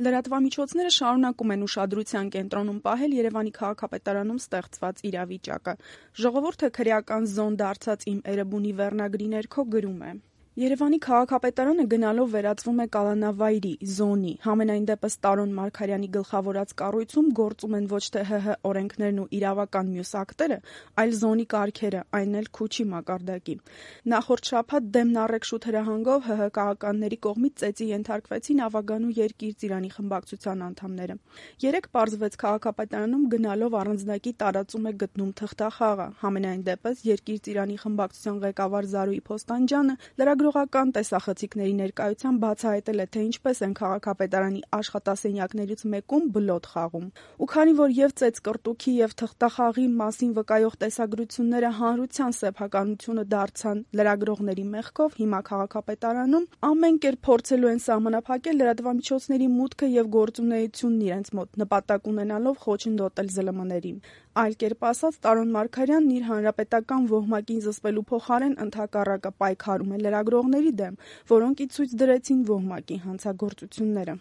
Լրատվամիջոցները շարունակում են ուշադրության կենտրոնում պահել Երևանի քաղաքապետարանում ստեղծված իրավիճակը։ «Ժողովուրդը քրեական զոն դարձած իմ Էրեբունի» վերնագրի ներքո գրում է. Երևանի քաղաքապետարանը գնալով վերածվում է կալանավայրի, զոնի, համենայն դեպս Տարոն Մարգարյանի գլխավորած կառույցում գործում են ոչ թե ՀՀ օրենքներն ու իրավական մյուս ակտերը, այլ զոնի կարգերը, այն էլ Քուչի մակարդակի։ Նախորդ շաբաթ դեմն առեք շուտ հրահանգով ՀՀ քաղաքականների կողմից ծեծի ենթարկվեցին Ավագանու Երկիր Ծիրանի խմբակցության անդամները։ Երեկ պարզվեց քաղաքապետարանում գնալով առանձնակի տարածում է գտնում թղթախաղը, համենայն դեպս Երկիր Ծիրանի խմբակցության ղեկավար Զարուհի Փոստանջյանը լրագրողական տեսախցիկների ներկայությամբ բացահայտել է, թե ինչպես են քաղաքապետարանի աշխատասենյակներից մեկում բլոթ խաղում։ Ու քանի որ եւ ծեծկռտուքի եւ թղթախաղի մասին վկայող տեսագրությունները հանրության սեփականությունը դարձան լրագրողների մեղքով, հիմա քաղաքապետարանում ամեն կերպ փորձելու են սահմանափակել լրատվամիջոցների մուտքը եւ գործունեությունն իրենց մոտ, նպատակ ունենալով խոչընդոտել ԶԼՄ-ներին։ Այլ կերպ ասած, Տարոն Մարգարյանն իր հանրապետական ոհմակին զսպելու փոխարեն ընդհակառակը պայքարում է լրագրողների դեմ, որոնք ի ցույց դրեցին ոհմակի հանցագործությունները։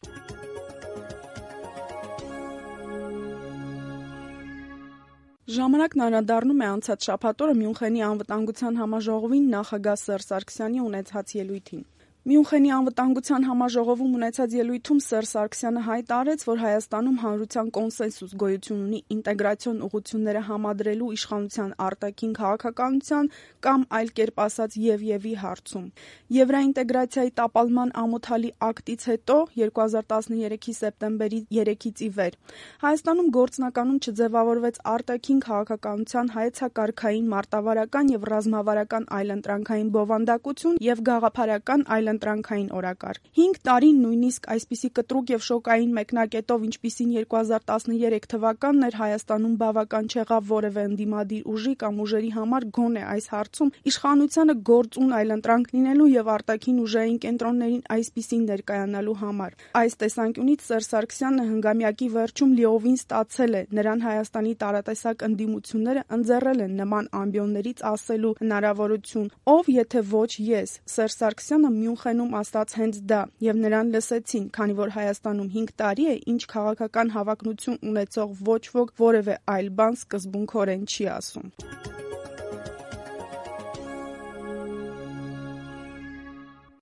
Ժամանակն անդրադառնում է անցած շաբաթ օրը Մյունխենի անվտանգության համաժողովին նախագահ Սերժ Սարգսյանի ունեցած ելույթին։ Մյունխենի անվտանգության համաժողովում ունեցած ելույթում Սերժ Սարգսյանը հայտարարեց, որ Հայաստանում հանրության կոնսենսուս գոյություն ունի ինտեգրացիոն ուղղությունները համադրելու իշխանության արտաքին քաղաքականության կամ այլ կերպ ասած և-ի հարցում։ Եվրաինտեգրացիայի տապալման ամոթալի ակտից հետո 2013-ի սեպտեմբերի 3-ից ի վեր Հայաստանում գործնականում չձևավորվեց արտաքին քաղաքականության հայեցակարգային, մարտավարական եւ ռազմավարական այլընտրանքային բովանդակություն եւ գաղափարական այլընտրանքային օրակարգ։ 5 տարին նույնիսկ այսպիսի կտրուկ եւ շոկային մեկնակետով, ինչպիսին 2013 թվականն էր, Հայաստանում բավական չեղավ որևէ ընդդիմադիր ուժի կամ ուժերի համար գոնե այս հարցում իշխանությանը գործուն այլընտրանք լինելու եւ արտաքին ուժային կենտրոններին այսպիսին ներկայանալու համար։ Այս տեսանկյունից Սերժ Սարգսյանը հնգամյակի վերջում լիովին ստացել է, նրան Հայաստանի տարատեսակ ընդդիմությունները ընձեռել են նման ամբիոններից ասելու հնարավորություն, ով եթե ոչ ես։ Սերժ Սարգսյանը Մյունխենում ասաց հենց դա, եւ նրան լսեցին, քանի որ Հայաստանում 5 տարի է, ինչ քաղաքական հավակնություն ունեցող ոչ ոք որևէ այլ բան սկզբունքորեն չի ասում։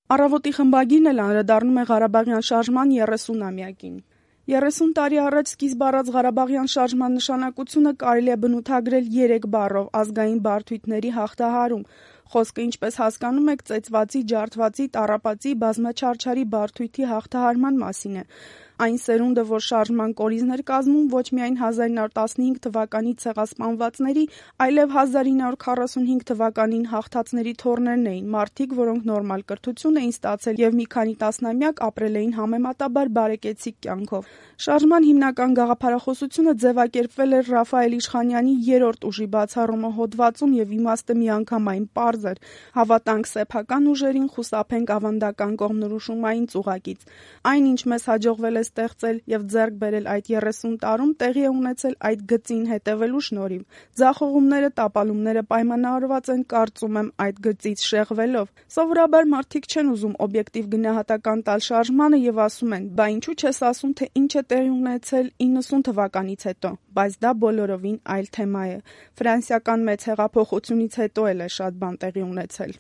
Առավոտի խմբագիրն էլ անդրադառնում է Ղարաբաղյան շարժման 30-ամյակին։ 30 տարի առաջ սկիզբ առած Ղարաբաղյան շարժման նշանակությունը կարելի է բնութագրել 3 բառով՝ ազգային բարդույթների հաղթահարում։ Խոսքը, ինչպես հասկանում եք, ծեծվածի, ջարդվածի, տառապածի, բազմաչարչարի բարդույթի հաղթահարման մասին է։ Այն սերունդը, որ շարժման կորիզներ կազմում ոչ միայն 1915 թվականի ցեղասպանվածների, այլև 1945 թվականին հաղթածների թոռներն էին, մարդիկ, որոնք նորմալ կրթություն էին ստացել եւ մի քանի տասնամյակ ապրել էին համեմատաբար բարեկեցիկ կյանքով։ Շարժման հիմնական գաղափարախոսությունը ձևակերպվել էր Ռաֆայել Իշխանյանի 3-րդ ուժի բացառումը հոդվածում եւ իմաստը միանգամայն պարզ էր. հավատանք սեփական ուժերին, խուսափենք ավանդական կողմնորոշումային ծուղակից։ Այն, ինչ մեզ հաջողվել է ստեղծել եւ ձեռք բերել այդ 30 տարում, տեղի է ունեցել այդ գծին հետևելու շնորհիվ։ Ձախողումները, տապալումները պայմանավորված են, կարծում եմ, այդ գծից շեղվելով։ Սովորաբար մարդիկ չեն ուզում օբյեկտիվ գնահատական տալ շարժմանը եւ ասում են. «Բա ինչու չես ասում, թե ինչ է տեղի ունեցել 90 թվականից հետո»։ Բայց դա բոլորովին այլ թեմա է։ Ֆրանսիական մեծ հեղափոխությունից հետո էլ է շատ բան տեղի ունեցել։